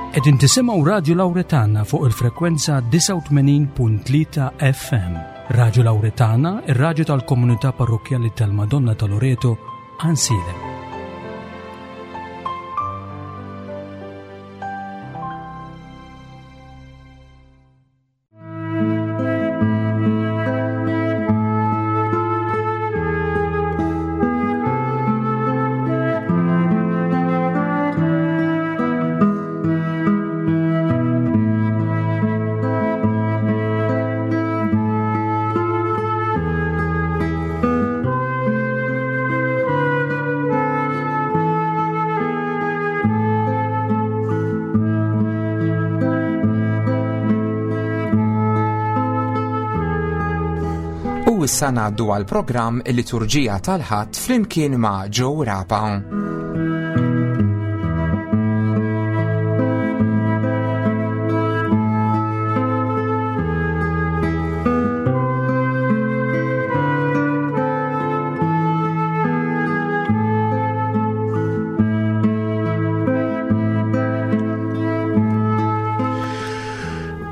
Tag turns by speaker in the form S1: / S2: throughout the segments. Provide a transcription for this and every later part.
S1: Qegħdin tisimgħu Radju Lawretana fuq il-frekwenza 89.3 FM. Radju Lawretana, ir-radju tal-komunità parrokkjali tal-Madonna ta' Loreto, Ansilem.
S2: U issa ngħaddu għal programm il-Liturġija tal-Ħadd flimkien ma' Joe Rapa.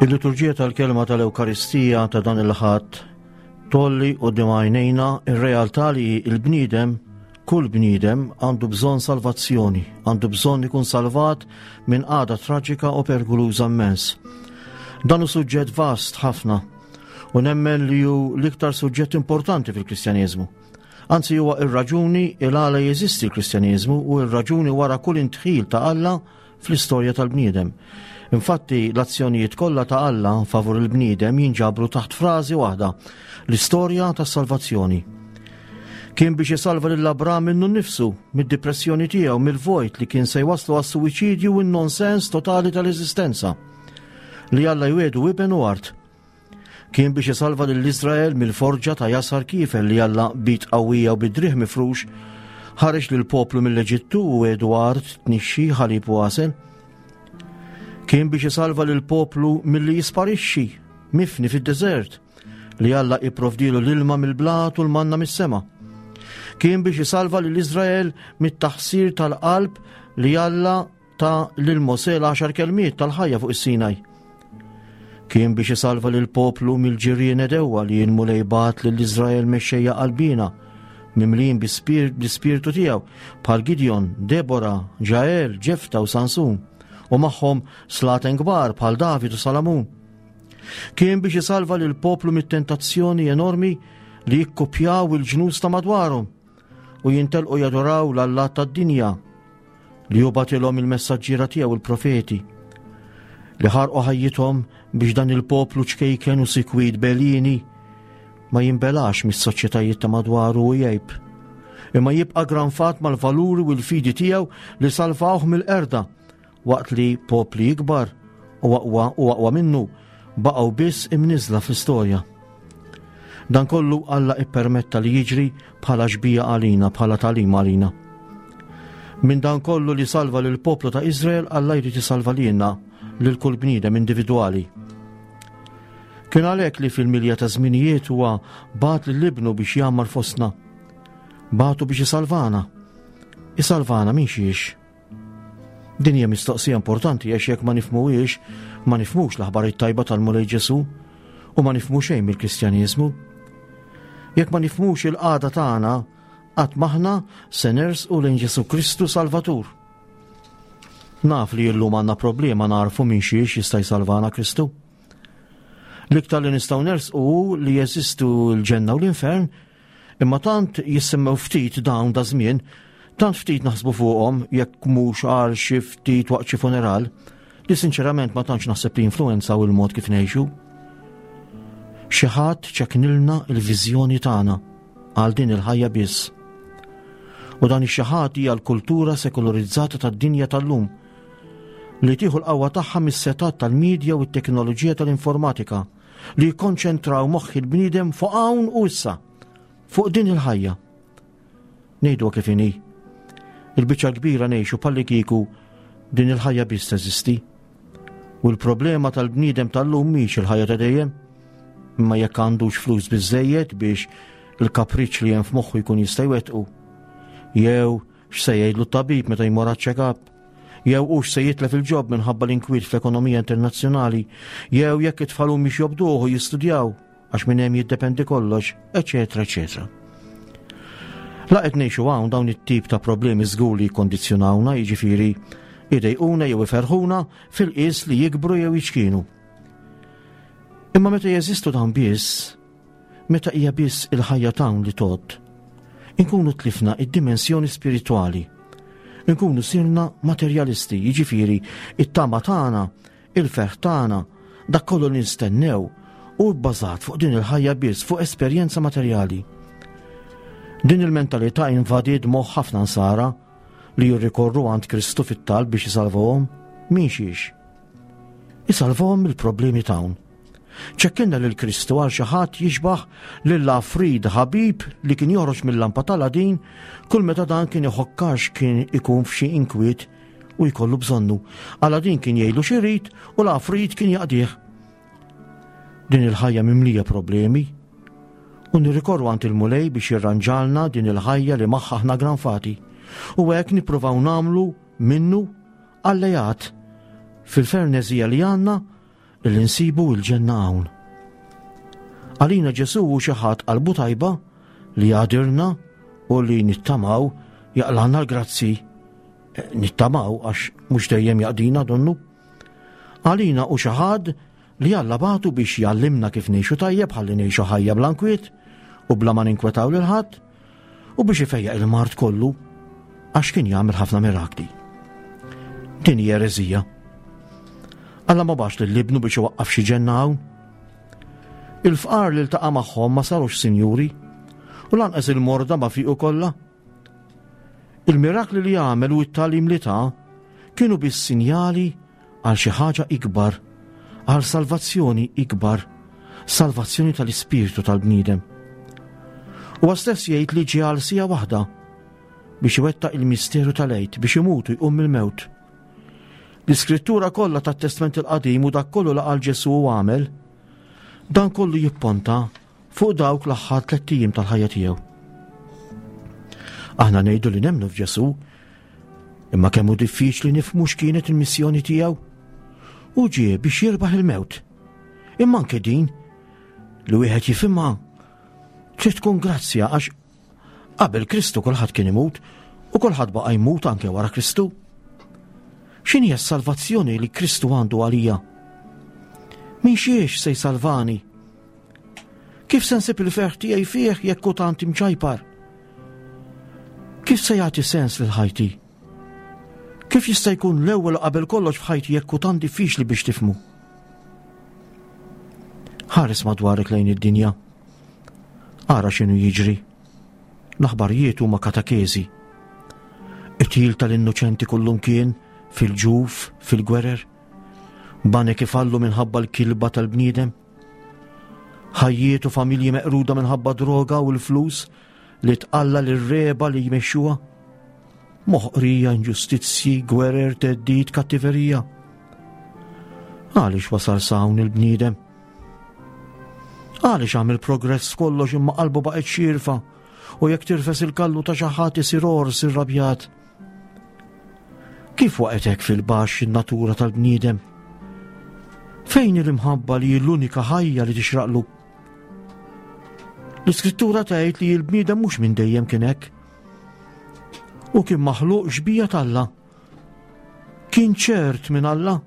S3: Il-liturġija tal-kelma tal-Ewkaristija ta' dan il-ħadd tolli u għajnejna ir-realtà li l-bniedem kull bniedem għandu bżonn salvazzjoni, għandu bżonn ikun salvat minn għada traġika u perikoluża immens. Dan hu suġġett vast ħafna u nemmen li hu l-iktar suġġett importanti fil-Kristjaneżmu. Anzi huwa ir-raġuni il għala jeżisti l-Kristjaneżmu u r-raġuni wara kull intħil ta' Alla fl-istorja tal-bniedem. Infatti, l-azzjonijiet kollha ta' Alla favur il-bniedem jinġabru taħt frażi waħda, l-istorja tas-salvazzjoni. Kien biex isalva lil Abram minnu nnifsu, mid-depressjoni tiegħu, mill-vojt li kien se jwaslu għas-suwiċidju u n-nonsens totali tal-eżistenza. Li Alla jwedu iben u art. Kien biex isalva lil Iżrael mill-forġa ta' jasar kiefer li Alla bit qawwija u bid-driegħ mifrux ħareġ lil poplu mill-Eġittu u għedu art tnixxi ħalib u għasel. Kien biex isalva lil poplu milli jisparixxi mifni fid-deżert li Alla ipprovdilu l-ilma mill-blat u l-manna mis-sema. Kien biex isalva lil Iżrael mit-taħsir tal-qalb li Alla ta lil Mosè l-għaxar kelmiet tal-ħajja fuq is-Sinaj. Kien biex isalva lil poplu mill-ġirien edewwa li l-Mulej bagħat lil Iżrael mexxejja qalbina, mimlijin bl-ispirtu tiegħu bħal Gideon, Debora, Ġael, Ġefta u Sansun, u magħhom slaten kbar bħal David u Salamun. Kien biex isalva lil poplu mit-tentazzjoni enormi li jikkupjaw il-ġnus ta' madwarhom u jintelqu jadoraw l-allat tad-dinja li hu bagħtilhom il-messaġġiera tiegħu il-profeti li ħarqu ħajjithom biex dan il-poplu ċkejken u sikwit belini ma jinbelax mis-soċjetajiet ta' madwaru u jgħib. Imma jibqa' granfat mal-valuri u l-fidi tiegħu li salvawh mill-qerda waqt li popli ikbar u aqwa u aqwa minnu baqgħu biss imniżla fl-istorja. Dan kollu Alla ippermetta li jiġri bħala xbija għalina, bħala tagħlim għalina. Minn dan kollu li salva lil poplu ta' Izrael, Alla jrid isalva lilna lil kull bniedem individwali. Kien għalhekk li fil-milja ta' żminijiet huwa bagħat lil ibnu biex jgħammar fostna. Bagħtu biex isalvana. Isalvana minn xiex? Din hija mistoqsija importanti għax jekk ma nifhmuhiex, ma nifhmux l-aħbar it-tajba tal-Mulej Ġesù u ma nifhmu xejn mill-Kristjaniżmu. Jekk ma nifhmux il-qagħda tagħna, qatt m'aħna se nersqu lejn Ġesù Kristu Salvatur. Naf li llum għandna problema narfu minn xiex jista' jsalvana Kristu. L-iktar li nistgħu nersqu hu li jeżistu l-ġenna u l-infern Imma tant jissemmew ftit dawn da żmien, tant ftit naħsbu fuqhom jekk mhux għal xi ftit waqt xi funeral, li sinċerament ma tantx naħseb li influenzaw il-mod kif ngħixu. Xi ħadd ċeknilna l-viżjoni tagħna għal din il-ħajja biss. U dan ix-xi ħadd hija l-kultura sekularizzata tad-dinja tal-lum li tieħu l-qawwa tagħha mis-setat tal-medja u t-teknoloġija tal-informatika li jikkonċentraw moħħ il-bniedem fuq hawn u issa, fuq din il-ħajja. Ngħidu kif inhi. Il-biċċa kbira ngħixu palli kieku din il-ħajja biss teżisti. U l-problema tal-bniedem tal-lum mhix il-ħajja ta' dejjem, imma jekk għandux flus biżejjed biex il-kapriċ li hemm f'moħħu jkun jista' jwettqu. Jew x'se jgħidlu t-tabib meta jmur għaċ-check-up. Jew hux se jitlef il-ġob minħabba l-inkwiet fl-ekonomija internazzjonali, jew jekk it-tfal humiex jobduh u jistudjaw għax minn hemm jiddependi kollox, eċetera, eċetera. La qed ngħixu hawn dawn it-tip ta' problemi żgur li jikkondizzjonawna, jiġifieri idejquna jew iferħuna fil-qies li jikbru jew jiċkienu. Imma meta jeżistu dawn biss, meta hija biss il-ħajja t'hawn li tgħodd, inkunu tlifna id-dimensjoni spiritwali. Inkunu sirna materjalisti, jiġifieri it-tama tagħna, il-ferħ tagħna, dak kollu li nistennew hu bbażat fuq din il-ħajja biss, fuq esperjenza materjali. Din il-mentalità invadiet moħħ ħafna nsara li jirrikorru għand Kristu fit-talb biex isalvahom minn xiex. Isalvahom mill-problemi t'hawn. Ċekkinna lil Kristu għal xi ħadd jixbaħ lil Afrid ħabib li kien joħroġ mill-lampa tal-Aladin kull meta dan kien iħokkax kien ikun f'xi inkwiet u jkollu bżonnu. Aladin kien jgħidlu x'irid u l-Afrid kien jaqdih. Din il-ħajja mimlija problemi u nirrikorru għand il-Mulej biex jirranġalna din il-ħajja li magħha aħna granfati. U hekk nippruvaw nagħmlu minnu allejat fil-ferneżija li għandna li nsibu l-ġenna hawn. Għalina Ġesù hu xi ħadd qalbu tajba li jgħadirna u li nittamaw jaqlana l-grazzi. Eh, nittamaw għax mhux dejjem jaqdina donnu. Għalina u xi ħadd li Alla bagħtu biex jgħallimna kif ngħixu tajjeb ħalli ngħixu ħajja bla nkwiet u bla ma ninkwetaw lil ħadd u biex ifejjaq il-mard kollu għax kien jagħmel ħafna mirakli. Din hija ereżija. Alla ma bax lil ibnu biex iwaqqaf xi ġenna hawn. Il-fqar li ltaqa' magħhom ma sarux sinjuri u lanqas il-morda ma fiqu kollha. Il-mirakli li għamel u t-tagħlim li ta kienu biss sinjali għal xi ħaġa ikbar, għal salvazzjoni ikbar, salvazzjoni tal-ispirtu tal-bniedem. Huwa stess jgħid li ġie għal sija waħda biex iwettaq il-misteru tal-Għid biex imut u jqum mill-mewt. L-iskrittura kollha tat-Testment il-Qadim u dak kollu li qal Ġesù u għamel, dan kollu jipponta fuq dawk l-aħħar tlett ijiem tal-ħajja tiegħu. Aħna ngħidu li nemmnu f'Ġesù, imma kemm hu diffiċli nifhmu x'kienet il-missjoni tiegħu. Hu ġie biex jirbaħ il-mewt. Imma anke din li wieħed jifhimha trid tkun grazzja għax qabel Kristu kulħadd kien imut u kulħadd baqa' jmut anke wara Kristu. X'inhi s-salvazzjoni li Kristu għandu għalija? Min xiex se jsalvani? Kif se nsib il-ferħ tiegħi fih jekk hu tant imċajpar? Kif se jagħti sens lil ħajti? Kif jista' jkun l-ewwel qabel kollox f'ħajti jekk hu tant diffiċli biex tifhmu? Ħares madwarek lejn id-dinja. Ara x'inhu jiġri. L-aħbarijiet huma katakezi. Qtil tal-innoċenti kullumkien, fil-ġuf, fil-gwerer. Banek ifallu minħabba l-kilba tal-bniedem. Ħajjiet u familji meqruda minħabba droga u l-flus li tqalla lir-reba li jmexxuha. Moħqrija, inġustizzji, gwerer, theddid, kattiverija. Għaliex wasal s'hawn il-bniedem? Għaliex għamel progress f'kollox imma qalbu baqgħet xierfa u jekk tirfes il-kallu ta' xi ħadd isir ors irrabjat. Kif waqgħet hekk fil-baxx in-natura tal-bniedem? Fejn l-imħabba li l-unika ħajja li tixraqlu? L-iskrittura tgħid li l-bniedem mhux minn dejjem kien hekk. U kien maħluq xbija t'Alla. Kien ċert minn Alla.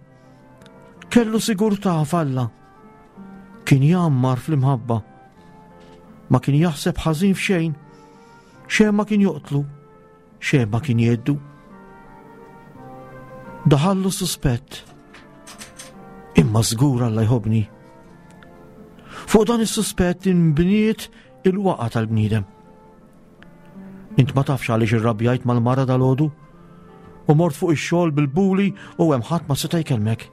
S3: Kellu sigurtà f'Alla. Kien jgħammar fl-imħabba. Ma kien jaħseb ħażin f'xejn. Xejn ma kien joqtlu. Xejn ma kien jgħiddu. Daħallu suspett. Imma żgur Alla jħobbni. Fuq dan is-suspett inbniet il-waqa tal-bniedem. Int ma tafx għaliex irrabjajt mal-mara dal-għodu u mort fuq ix-xogħol bil-buli u hemm ħadd ma seta' jkellmek.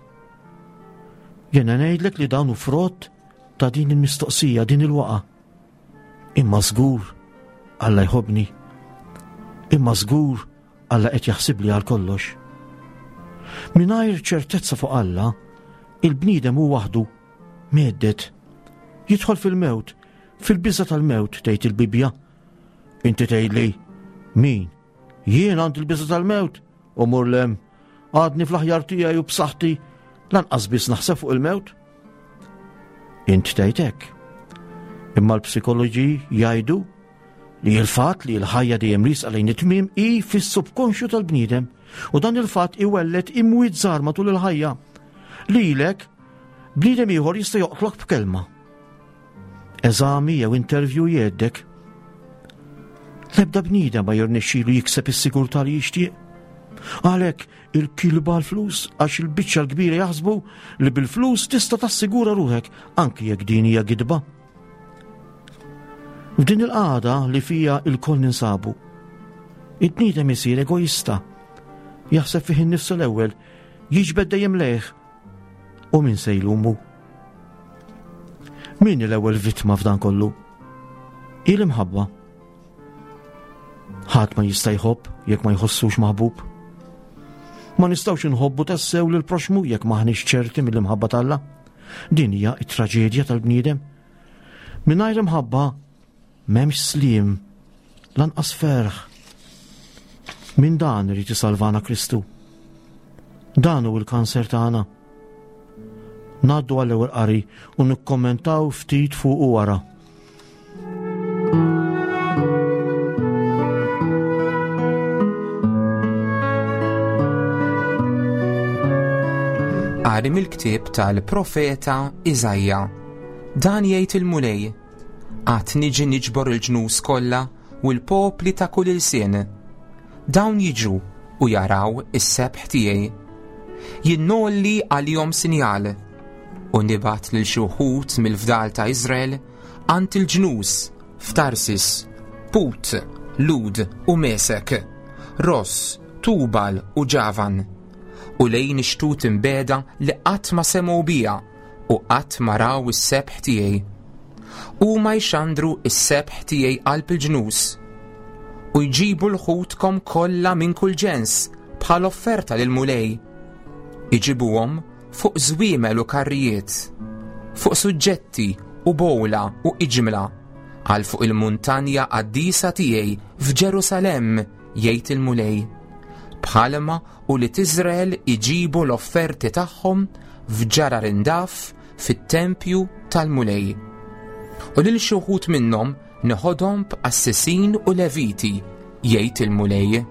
S3: Jiena ngħidlek li dan hu frott ta' din il-mistoqsija, din il-waqa. Imma żgur Alla jħobbni. Imma żgur Alla qed jaħsibli għal kollox. Mingħajr ċertezza fuq Alla, il-bniedem hu waħdu, mhedded. Jidħol fil-mewt, fil-biża tal-mewt, tgħid il-Bibbja. Inti tgħidli, min? Jien għandi l-biża tal-mewt? U mur lem. Għadni fl-aħjar tiegħi u b'saħħti lanqas biss naħseb fuq il-mewt. Int tgħid hekk. Imma l-psikoloġi jgħidu li l-fatt li l-ħajja dejjem riesqa lejn it-tmiem hi fis-subkonxju tal-bniedem u dan il-fatt iwelled imwiet żgħar matul il-ħajja. Lilek bniedem ieħor jista' joqtlok b'kelma. Eżami jew interview jgħeddek. L-ebda bniedem ma jirnexxilu jikseb is-sigurtà li jixtieq. Għalhekk il-kilba l-flus għax il-biċċa l-kbira jaħsbu li bil-flus tista' tassigura ruħek anki jekk din hija gidba. F'din il-qagħda li fija il-koll ninsabu, id-bniedem isir egoista, jaħseb fih innifsu l-ewwel, jiġbed dejjem lejh U min se jlumu? Min l-ewwel vittma f'dan kollu? Hi l-imħabba. Ħadd ma jista' jħobb jekk ma jħossux maħbub. Ma nistgħux inħobbu tassew lil proxmu jekk maħniex ċerti mill-imħabba t'Alla. Din hija t-traġedja tal-bniedem. Mingħajr imħabba M'hemmx sliem, lanqas ferħ. Minn dan irid isalvana Kristu. Dan hu l-kanser tagħna. Ngħaddu għall-ewwel qari u nikkommentaw ftit fuq u wara.
S2: Qari mill-ktieb tal-profeta Iżajja. Dan jgħid il-Mulej Għad niġi niġbor il-ġnus kollha u l-popli ta' kull ilsien. Dawn jiġu u jaraw is-sebħ tiegħi. Jien ngħolli għalihom sinjal u nibgħat lil xi wħud mill-fdal ta' Iżrael għand il-ġnus f'Tarsis, Put, Lud u Mesek, Ross, Tubal u Ġavan, u lejn ix-xtut imbegħda li qatt ma semgħu bija u qatt ma raw is-sebħ tiegħi. Huma jxandru s-sebħ tiegħi qalb il-ġnus u jġibu l-ħutkom kollha minn kull ġens bħal offerta lil Mulej. Iġibuhom fuq żwiemel u karrijiet, fuq suġġetti u bowla u iġmla, għal fuq il-muntanja qaddisa tiegħi f'Ġerusalemm, jgħid il-Mulej. Bħalma Ulied Iżrael iġibu l-offerti tagħhom f'ġarar indaf fit-tempju tal-Mulej. U lil xi wħud minnhom neħodhom b'qassisin u leviti, jgħid il-Mulej.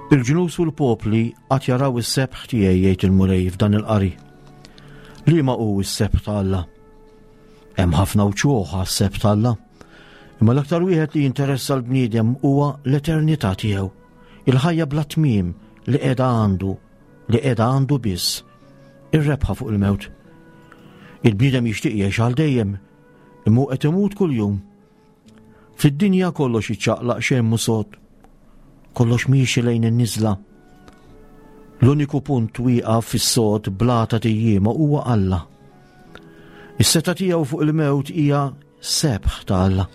S3: Il-ġnus u l-popli għad jaraw is-sebħ tiegħi jgħid il-Mulej f'dan il-qari. Liema hu s-sebħ ta' Alla? Hemm ħafna wċuħ għas-sebħ ta' Alla. Imma l-aktar wieħed li jinteressa l-bniedem huwa l-eternità tiegħu, il-ħajja bla tmiem li qiegħda għandu, li qiegħda għandu biss, ir-rebħa fuq il-mewt. Il-bniedem jixtieq jgħix għal dejjem, imma hu qed imut kuljum. Fid-dinja kollox jiċċaqlaq xejn mhu sod. Kollox miexi lejn in-niżla. L-uniku punt wieqaf fis-sod blata tijjiema huwa Alla. Is-seta tiegħu fuq il-mewt hija sebħ ta' Alla.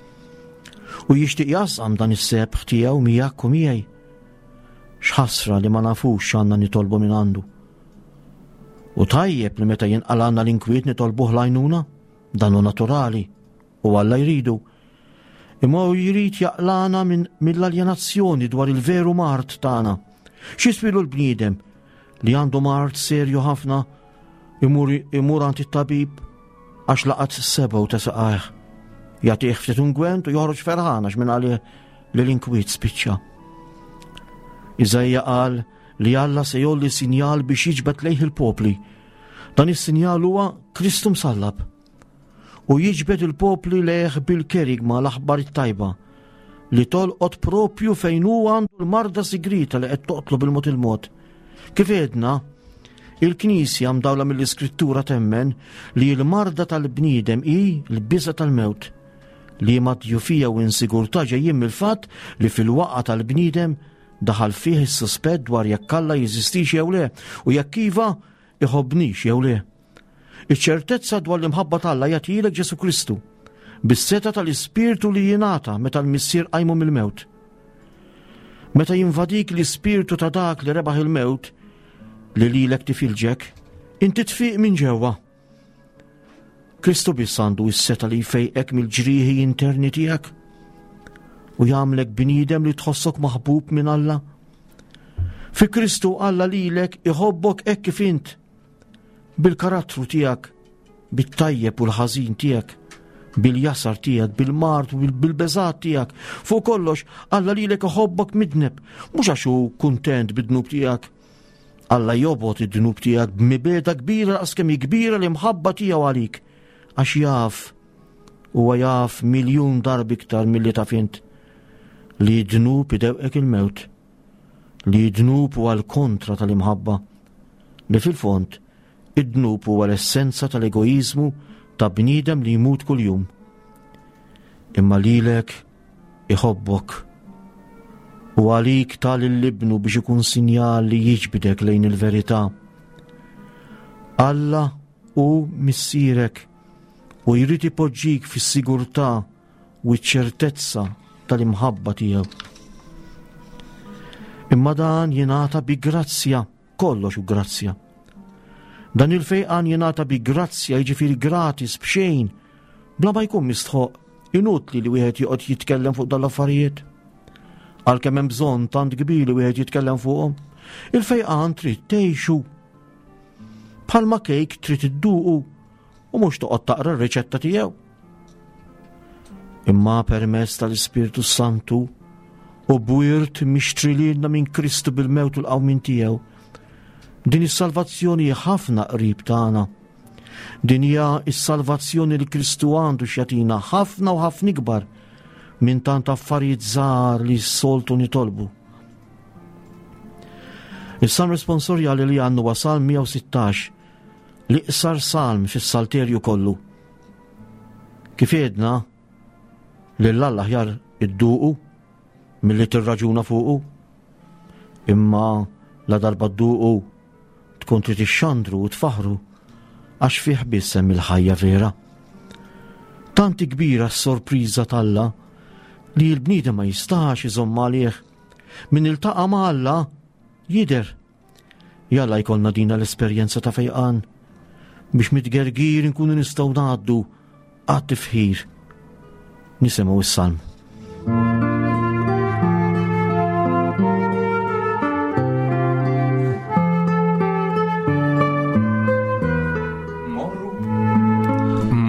S3: U jixtieq jasqam dan is-sebħ tiegħu miegħek u miegħi. X'ħasra li ma nafux x'għandna nitolbu minn għandu. U tajjeb li meta jinqalgħalna l-inkwiet nitolbuh l-għajnuna, dan hu naturali. U Alla jridu. Imma hu jrid jaqlana minn mill-aljenazzjoni dwar il-veru mard tagħna. X'jiswilu l-bniedem li għandu mard serju ħafna imur imur għand it-tabib għax laqat sebgħu ta' saqajh. Jagħtih ftit ungwent u joħroġ ferħan għax minn għalih li l-inkwiet spiċċa. Iżajja qal li Alla se jolli sinjal biex jiġbed lejh il-popli. Dan is-sinjal huwa Kristu msallab. U jiġbed il-popli lejh bil-kerigma l-aħbar it-tajba li tolqot propju fejn hu għandu l-marda sigrita li qed toqtlu bil-mod il-mod. Kif għedna, il-Knisja mdawla mill-Iskrittura temmen li l-marda tal-bniedem hi l-biża tal-mewt li ma djufija u insigurtà ġejjin mill-fatt li fil-waqa tal-bniedem daħal fih is-suspett dwar jekk Alla jeżistix jew le u jekk iva iħobbnix jew le. Iċ-ċertezza dwar l-imħabba t'Alla jagħtihielek Ġesù Kristu bis-setgħa tal-Ispirtu li jingħata meta l-Missier qajmu mill-mewt. Meta jinvadik l-Ispirtu ta' dak li rebaħ il-mewt li lilek tifilġek, Inti tfiq minn ġewwa. Kristu biss għandu s-seta li jfejqek mill-ġrieħi interni tiegħek u jagħmlek bniedem li tħossok maħbub minn Alla. Fi Kristu Alla lilek iħobbok hekk kif int bil-karattru tiegħek, bit-tajjeb u l-ħażin tiegħek, bil-jasar tiegħek, bil-mard u bil-beżat tiegħek. Fuq kollox, Alla lilek iħobbok midneb, mhux għax hu kuntent bid-dnub tiegħek, Alla jobgħod id-dnub tiegħek b'mibegħda kbira daqs kemm hi kbira l-imħabba tiegħu għalik, għax jaf, huwa jaf miljun darba iktar milli taf int, li d-dnub idewqek il-mewt, li d-dnub huwa l-kontra tal-imħabba, li fil-fond id-dnub huwa l-essenza tal-egoiżmu ta' bniedem li jmut kuljum. Imma lilek iħobbok u għalik ta lil ibnu biex ikun sinjal li jiġbidek lejn il-verità. Alla hu missierek u jrid ipoġġik fis-sigurtà u ċ-ċertezza tal-imħabba tiegħu. Imma dan jingħata bi grazzja Kollox hu grazzja. Dan il-fejqan jingħata bi grazzja, jiġifieri gratis b'xejn, bla ma jkun mistħoq, inutli li wieħed joqgħod jitkellem fuq dal-affarijiet. Għalkemm hemm bżonn tant kbir li wieħed jitkellem fuqhom, il-fejqan trid tgħixu. Bħalma kejk trid idduqu u mhux toqgħod taqra r-riċetta tiegħu. Imma permezz tal-Ispirtu Santu u bwirt mixtri lilna minn Kristu bil-mewt u l-qawmien tiegħu. Din is-salvazzjoni ħafna qrib tagħna. Din hija s-salvazzjoni li Kristu għandu x'jagħtina ħafna u ħafna ikbar minn tant affarijiet żgħar li s-soltu nitolbu. Is-salm responsorjali li għandu wasal 116 l-iqsar salm fis-salterju kollu. Kif għedna, lil Alla aħjar idduqu milli tirraġuna fuqu. Imma la darba dduqu tkun trid ixxandru u tfaħru għax fih biss hemm il-ħajja vera. Tant kbira s-sorpriża t'Alla li l-bniedem ma jistax iżomm għalih. Min iltaqa' ma' Alla jidher Jalla jkollna dina l-esperjenza ta' fejqan biex mitgergir nkunu nistgħu ngħaddu għat-tifħir. Nisimgħu s-salm.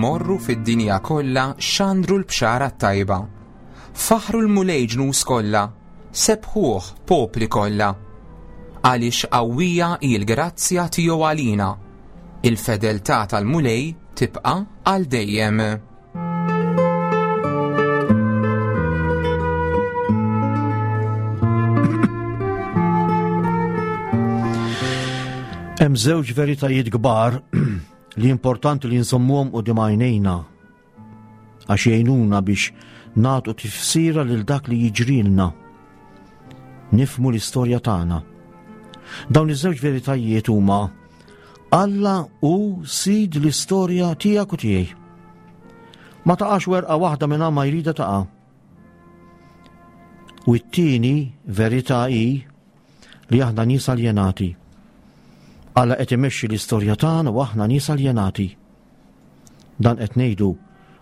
S2: Morru fid-dinja kollha xandru l-bxara t-tajba. Faħru l-Mulej ġnus kollha, sebħuh popli kollha. Għaliex qawwija hi l-grazzja tiegħu għalina. Il-fedeltà tal-Mulej tibqa' għal dejjem.
S3: Hemm żewġ veritajiet kbar li importanti li nżommuhom quddiem għajnejna għax jgħinuna biex nagħtu tifsira lil dak li jiġrilna. Nifmu l-istorja tagħna. Dawn iż-żewġ veritajiet huma Alla hu sid l-istorja tiegħek u tiegħi. Ma taqax werqa waħda minn ma jrida taqa'. U t-tieni verità hi li aħna nies aljenati. Alla qed imexxi l-istorja tagħna u aħna nies aljenati. Dan qed ngħidu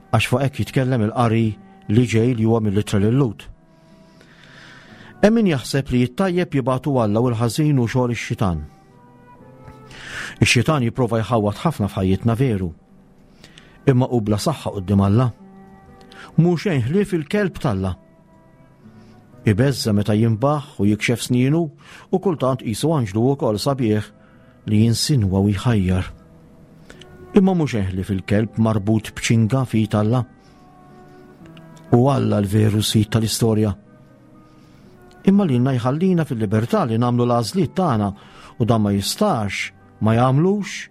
S3: għax fuq hekk jitkellem il-qari li ġej li huwa mill-ittra lil Lut. Hemm min jaħseb li t-tajjeb jibgħatu Alla u l-ħażin hu xogħol ix-xitan. Ix-xitan jipprova jħawwad ħafna f'ħajjitna veru. Imma hu bla saħħa quddiem Alla. Mhu xejn ħlief il-kelb t'Alla. Ibeżża meta jinbaħ u jikxef snienu u kultant qisu anġlu wkoll sabiħ li jinsinwa u jħajjar. Imma mhux eħli fil-kelb marbut b'ċinga f'id Alla. U Alla l-veru sid tal-istorja. Imma lilna jħallina fil-libertà li nagħmlu l-għażliet tagħna u dan ma jistax ma jagħmlux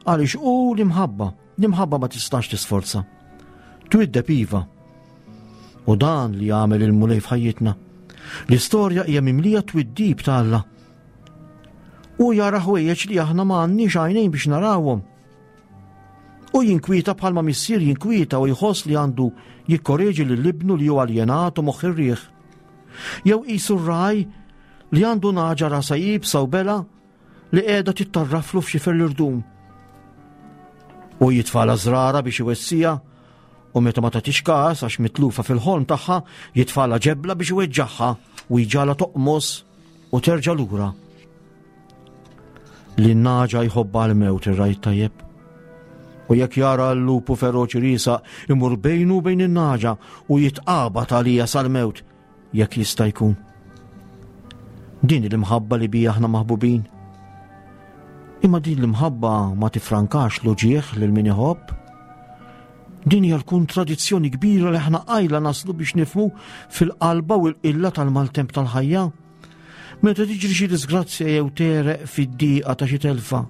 S3: Għaliex hu l-imħabba, l-imħabba ma tistax tisforza. Twiddeb iva. U dan li għamel il-Mulej f'ħajjitna. L-istorja hija mimlija twiddib ta' Alla. U jara ħwejjeġ li aħna ma għandniex għajnejn biex narawhom. U jinkwieta bħalma missier jinkwieta u jħoss li għandu jikkoreġi lil ibnu li hu aljenat u moħħ ir-riħ. Jew qisu r-raj li għandu naġa rasa jibsa u bela li qiegħda tittarraflu f'xifer l-irdum. U jitfala żrara biex iwessija u meta ma tagħtix każ għax mitlufa fil-ħolm tagħha jitfala ġebla biex iweġġagħha u jġala toqmos u terġa' lura. Li n-naġa jħobba l-mewt ir-rajt tajjeb. U jekk jara l-lupu feroċi risa imur bejnu bejn in-naġa u jitqabad għalija sal-mewt jekk jista' jkun. Din l-imħabba li bija aħna maħbubin. Imma din l-imħabba ma tifrankax l-uġieħ lil min iħobb. Din hija l-kontradizzjoni kbira li aħna qajla naslu biex nifmu fil-qalba u l-qilla tal-maltemp tal-ħajja. Meta tiġri xi disgrazzja jew tereq fid-diqa ta' xi telfa.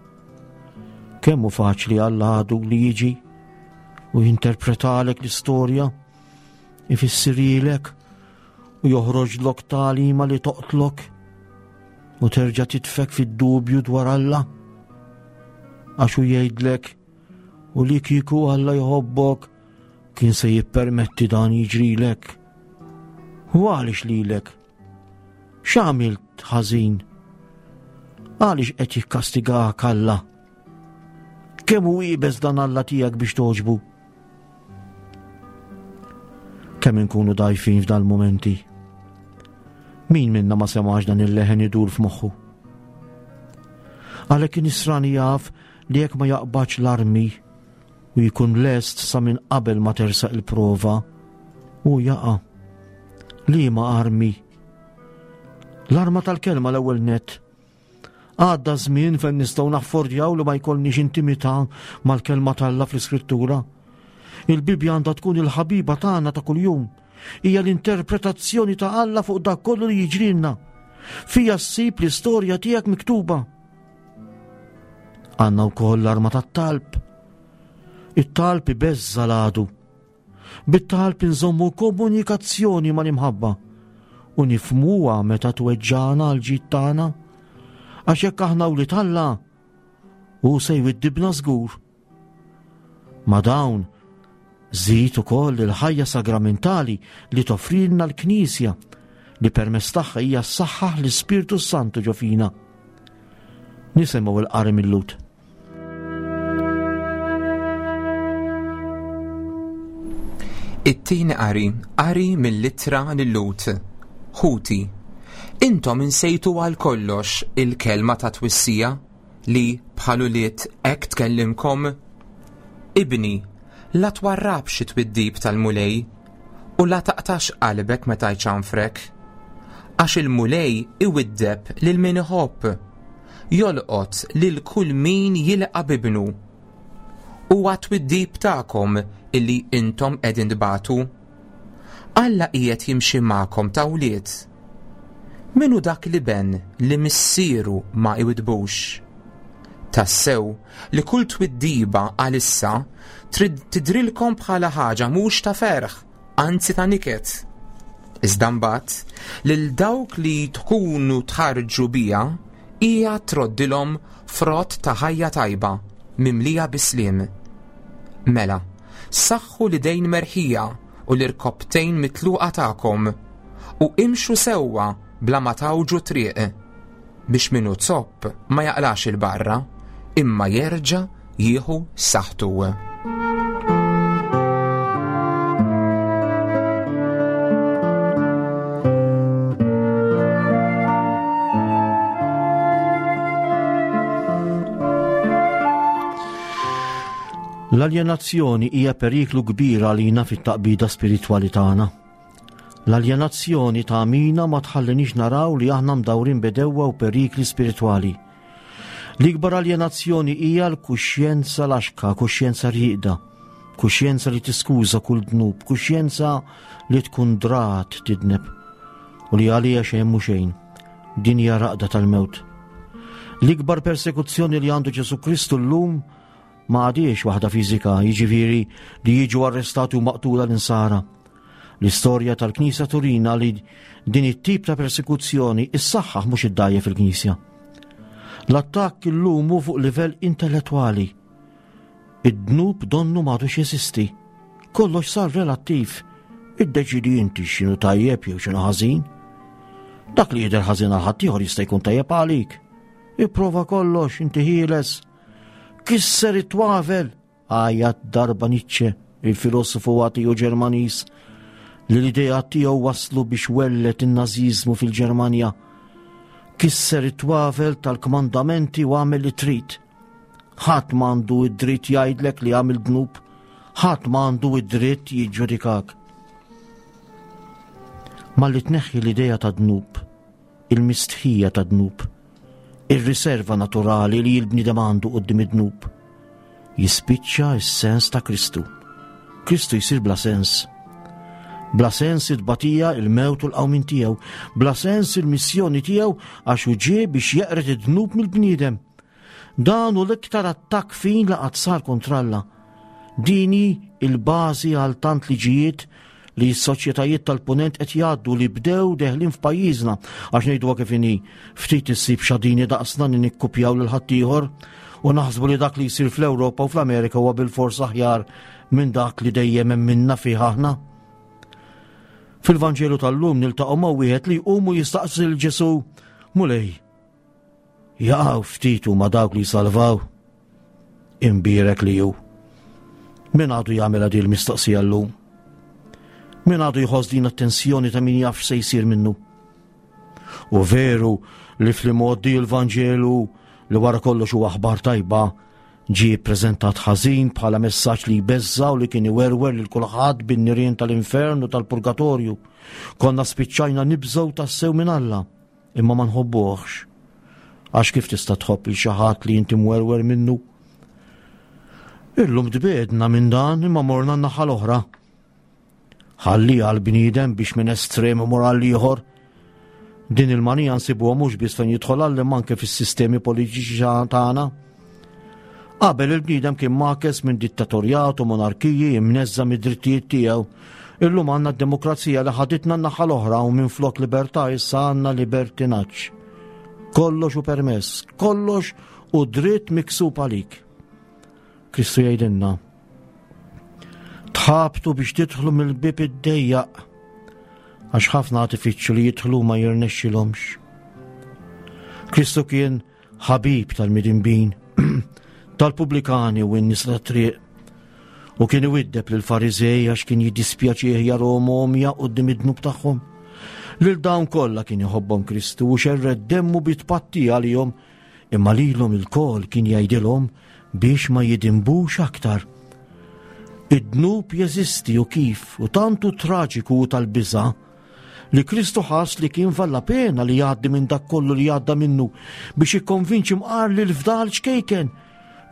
S3: Kemm hu faċli għall għadu li jiġi u jinterpretalek l-istorja, ifissirhielek u joħroġlok tagħlima li toqtlok u terġa' titfek fid-dubju dwar Alla. Għax hu jgħidlek u li kieku Alla jħobbok kien se jippermetti dan jiġrilek. U għaliex lilek? X'għamilt ħażin? Għaliex qed jikkastigak Alla? Kemm hu iebes dan Alla tiegħek biex togħġbu? Kemm inkunu dajfin f'dal mumenti? Min minna ma semax dan il-leħen idur f'moħħu? Għalhekk in-nisrani jaf li jekk ma jaqbadx l-armi u jkun lest sa minn qabel ma tersaq il-prova u jaqa' liema armi. L-arma tal-kelma l-ewwel net. Għadda żmien fejn nistgħu naffordjaw li ma jkollniex intimità mal-kelma t'Alla fl-Iskrittura. Il-Bibbja għandha tkun il-ħabiba tagħna ta' kuljum. Hija l-interpretazzjoni ta' Alla fuq dak kollu li jiġrilna. Fija ssib l-istorja tiegħek miktuba. Għandna wkoll l-arma tat-talb. It-talb ibeżża l-għadu. Bit-talb inżommu komunikazzjoni mal-imħabba u nifmuha meta tweġġana għal ġid tagħna. Għax jekk aħna wlied Alla, hu se jwiddibna żgur. Ma' dawn, żid ukoll il-ħajja sagramentali li toffrilna l-Knisja li permezz tagħha hija ssaħħaħ l-Ispirtu Santu ġo fina. Nisimgħu l-qari mill-Lhud.
S2: It-tieni qari, qari mill-ittra lil-Lhud. Ħuti, intom insejtu għal kollox il-kelma ta' twissija li bħal ulied hekk tkellimkom? Ibni, la twarrabx it-twiddib tal-Mulej u la taqtax qalbek meta jċanfrek. Għax il-Mulej iwiddeb lil min iħobb, jolqot lil kull min jilqa' b'ibnu. Huwa t-twiddib tagħkom illi intom qegħdin tbatu. Alla qiegħed jimxi magħkom ta' wlied. Min hu dak l-iben li missieru ma iwiddbux? Tassew li kull twiddiba għalissa trid tidhrilkom bħala ħaġa mhux ta' ferħ, anzi ta' niket. Iżda mbagħad lil dawk li tkunu tħarġu biha hija troddilhom frott ta' ħajja tajba mimlija bis-sliem. Mela, saħħu l-idejn merħija u l-irkopptejn mitluqa tagħkom u imxu sewwa bla ma tgħawġu t-triq, biex min hu zopp ma jaqlax 'il barra, imma jerġa' jieħu saħħtu.
S3: L-aljenazzjoni hija periklu kbir għalina fit-taqbida spiritwali tagħna. L-aljenazzjoni tagħmina ma tħallinix naraw li aħna mdawrin b'għedewwa u perikli spiritwali. L-ikbar aljenazzjoni hija l-kuxjenza laxka, kuxjenza rieqda, kuxjenza li tiskuża kull dnub, kuxjenza li tkun drat tidneb u li għalija xejn mhu xejn. Din hija raqda tal-mewt. L-ikbar persekuzzjoni li għandu Ġesu Kristu llum ma għadiex waħda fiżika, jiġifieri li jiġu arrestati u maqtula l-insara. L-istorja tal-Knisja turina li din it-tip ta' persekuzzjoni issaħħaħ mhux iddajjef il-Knisja. L-attakk illum hu fuq livell intellettwali. Id-dnub donnu m'għadux jeżisti. Kollox sar relattiv. Iddeċidi inti x'inhu tajjeb jew x'inhu ħażin. Dak li jidher ħażin għal ħaddieħor jista' jkun tajjeb għalik. Ipprova kollox, inti ħieles. Kisser it-twavel. Għajat darba Nietzsche, il-filosofu atiju Ġermaniż, li l-ideat tiegħu waslu biex welled in-Nażiżmu fil-Ġermanja. Kisser it-twavel tal-kmandamenti u għamel li trid. Ħadd m'għandu id-dritt jgħidlek li għamil dnub, ħadd m'għandu id-dritt jiġġudikak. Malli tneħħi l-idea ta' dnub, il-mistħija ta' dnub, ir-riserva naturali li l-bniedem għandu quddiem id-dnub. Jispiċċa s-sens ta' Kristu. Kristu jsir bla sens. Bla sens it-tbatija, il-mewt u l-qawmin tiegħu, bla sens il-missjoni tiegħu għax hu ġie biex jeqred id-dnub mill-bniedem. Dan hu l-iktar attakk fin li qatt sar kontra Alla. Din hi l-bażi għal tant liġijiet li s-soċjetajiet tal-punent qed jgħaddu li bdew deħlin f'pajjiżna għax ngħiduha kif inhi ftit issib xadini daqsna li nikkupjaw lil ħaddieħor u naħsbu li dak li jsir fl-Ewropa u fl-Amerika huwa bilfors aħjar minn dak li dejjem hemm minna fih aħna. Fil-Vanġelu tal-lum niltaqgħu ma' wieħed li jqum u jistaqsi lil Ġesù, Mulej, Jaqgħu ftit huma dawk li jsalvaw. Imbierek li hu. Min għadu jagħmilha din l-mistoqsija llum? Min għadu jħoss din attenzjoni ta' min jaf se jsir minnu? U veru li fl-imgħoddi l-Vanġelu li wara kollox huwa aħbar tajba ġie ppreżentat ħażin bħala messaġġ li jbeżża' u li kien iwerwer lil kulħadd bin-nirien tal-infern u tal-purgatorju. Konna spiċċajna nibżgħu tassew minn Alla. Imma ma nħobbuhx. Għax kif tista' tħobb lil xi ħadd li inti mwerwer minnu? Illum tbiegħdna minn dan imma morna n-naħa l-oħra. Ħalli għal bniedem biex minn estrem imur għal ieħor. Din il-manija nsibuha mhux biss fejn jidħol għal imma anke fis-sistemi politiċi tagħna. Qabel il-bniedem kien makes minn dittatorjat u monarkiji imneżża mid-drittijiet tiegħu. Illum għandna d-demokrazija li ħaditna n-naħa l-oħra u minflok libertà issa għandna libertinaġġ. Kollox hu permess, kollox hu dritt miksub għalik. Kristu jgħidilna, tħabtu biex tidħlu mill-bib id-dejjaq, għax ħafna għad ifittxu li jidħlu ma jirnexxilhomx. Kristu kien ħabib tal-midinbin, tal-pubblikani u n-nies tat-triq. U kien iwiddeb lil fariżej għax kien jiddispjaċih jarahom għomja quddiem id-dnub tagħhom. Lil dawn kollha kien iħobbhom Kristu u xerred demmu bi tpatti għalihom, imma lilhom ilkoll kien jgħidilhom biex ma jidinbux aktar. Id-dnub jeżisti u kif, u tant hu traġiku u tal-biża' li Kristu ħass li kien valla pena li jgħaddi minn dak kollu li għadda minnu biex jikkonvinċi mqar li l-fdal ċkejken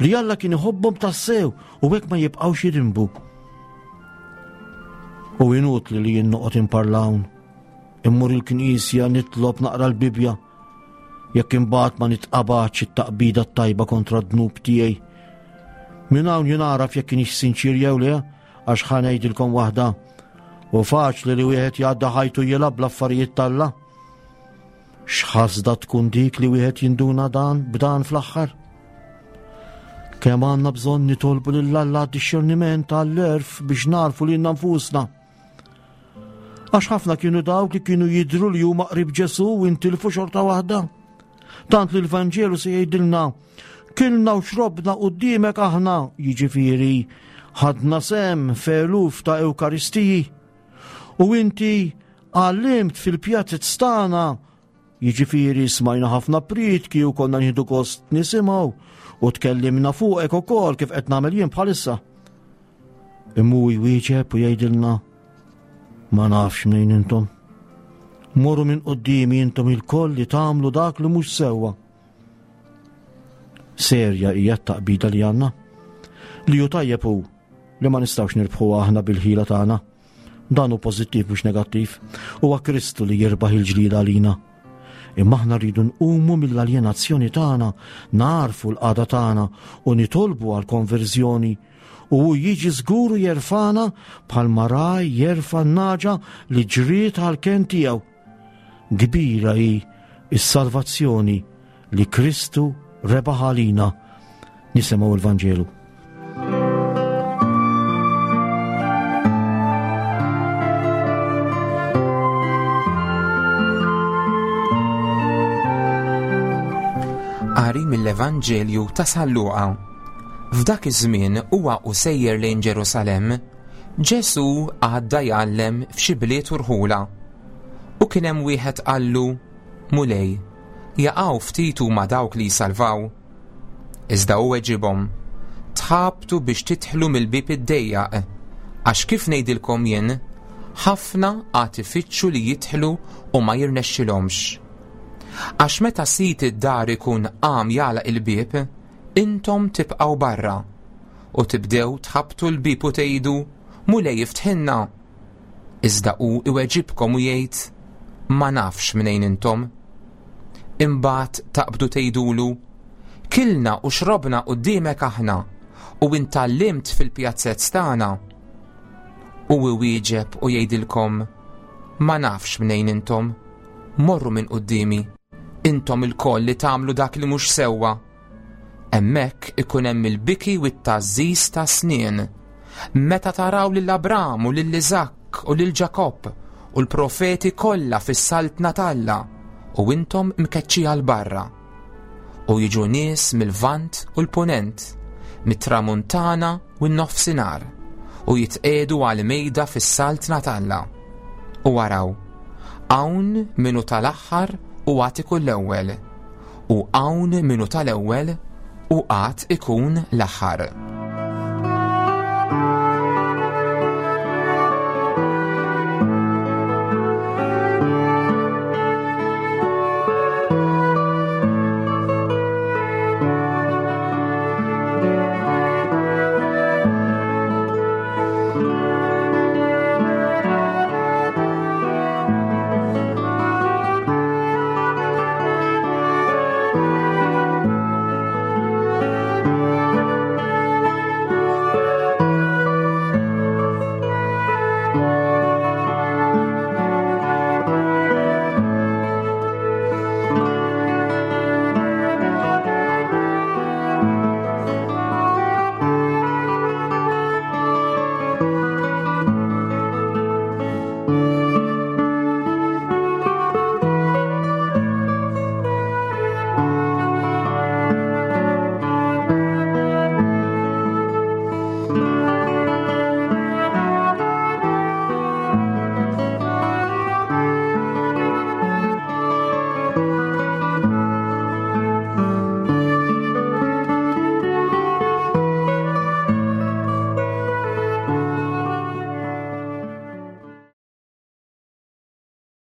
S3: li Alla kien iħobbhom tassew u hekk ma jibqgħux jidinbu. U inutli li jien noqgħod imparlawn. Immur il-knisja nitlob naqra l-Bibbja. Jekk imbagħad ma nitqabadx it-taqbida t-tajba kontra d-dnub tiegħi. Minn hawn jien għaraf jekk kienx sinċir jew le, għax ħa ngħidilkom waħda. U faċli li wieħed jgħadda ħajtu jilgħab bl-affarijiet t'Alla. X'ħasda tkun dik li wieħed jinduna dan b'dan fl-aħħar? Kemm għandna bżonn nitolbu lil Alla għad-dixxerniment għall-erf biex narfu lilna nfusna. Għax ħafna kienu dawk li kienu jidhru li huma qrib Ġesù u intilfu xorta waħda. Tant li l-Vanġelu se jgħidilna kilna u xrobna quddiemek aħna, jiġifieri ħadna sem f'eluf ta' Ewkaristiji. U inti għallimt fil-pjazez tagħna Jiġifieri smajna ħafna prietki u konna nieħdu gost nisimgħu u tkellimna fuqek ukoll kif qed nagħmel jien bħalissa. Imma hu jwieġeb u jgħidilna ma nafx mnejn intom. Morru minn quddiemi intom ilkoll li tagħmlu dak li mhux sewwa. Serja hija t-taqbida li għandna. Li hu tajjeb hu li ma nistgħux nirbħu aħna bil-ħila tagħna. Dan hu pożittiv mhux negattiv. Huwa Kristu li jirbaħ il-ġlieda għalina. Imma aħna rridu nqumu mill-aljenazzjoni tagħna, narfu l-qagħda tagħna u nitolbu għal konverżjoni u hu jiġi żgur u jerfana bħalma raj jerfa' n-naġa li ġriet għal ken tiegħu. Kbira hi s-salvazzjoni li Kristu rebaħ għalina. Nisimgħu l-Vanġelu.
S2: Qari mill-Evanġelju ta' San Luqa. F'dak iż-żmien huwa u sejjer lejn Ġerusalemm, Ġesù għadda jgħallem f'xi bliet u rħula. U kien hemm wieħed qallu, Mulej, jaqaw ftit huma dawk li jsalvaw? Iżda hu weġibhom, Tħabtu biex tidħlu mill-bieb id-dejjaq, għax kif ngħidilkom jien, ħafna għad ifittxu li jidħlu u ma jirnexxilhomx. Għax meta sid id-dar ikun qam jagħlaq il-bieb, intom tibqgħu barra u tibdew tħabbtu l-bieb u tgħidu, Mulej iftħilna. Iżda hu iweġibkom u jgħid, Ma nafx mnejn intom. Imbagħad taqbdu tgħidulu, Kilna u xrobna quddiemek aħna, u int tgħallimt fil-pjazzezz tagħna. U iwieġeb u jgħidilkom, Ma nafx mnejn intom, morru minn quddiemi, intom ilkoll li tagħmlu dak li mhux sewwa. Hemmhekk ikun hemm il-biki u t-tgħażżiż ta' snien. Meta taraw lil Abram u lil Iżakk u lil Ġakobb u l-profeti kollha fis-saltna t'Alla u intom mkeċċija 'l barra. U jiġu nies mil-Lvant u l-Punent, mit-Tramuntana u n-Nofsinhar, u jitqiegħdu għall-mejda fis-saltna t'Alla. U araw, hawn min hu tal-aħħar u għad ikun l-ewwel, u hawn min hu tal-ewwel u għad ikun l-aħħar.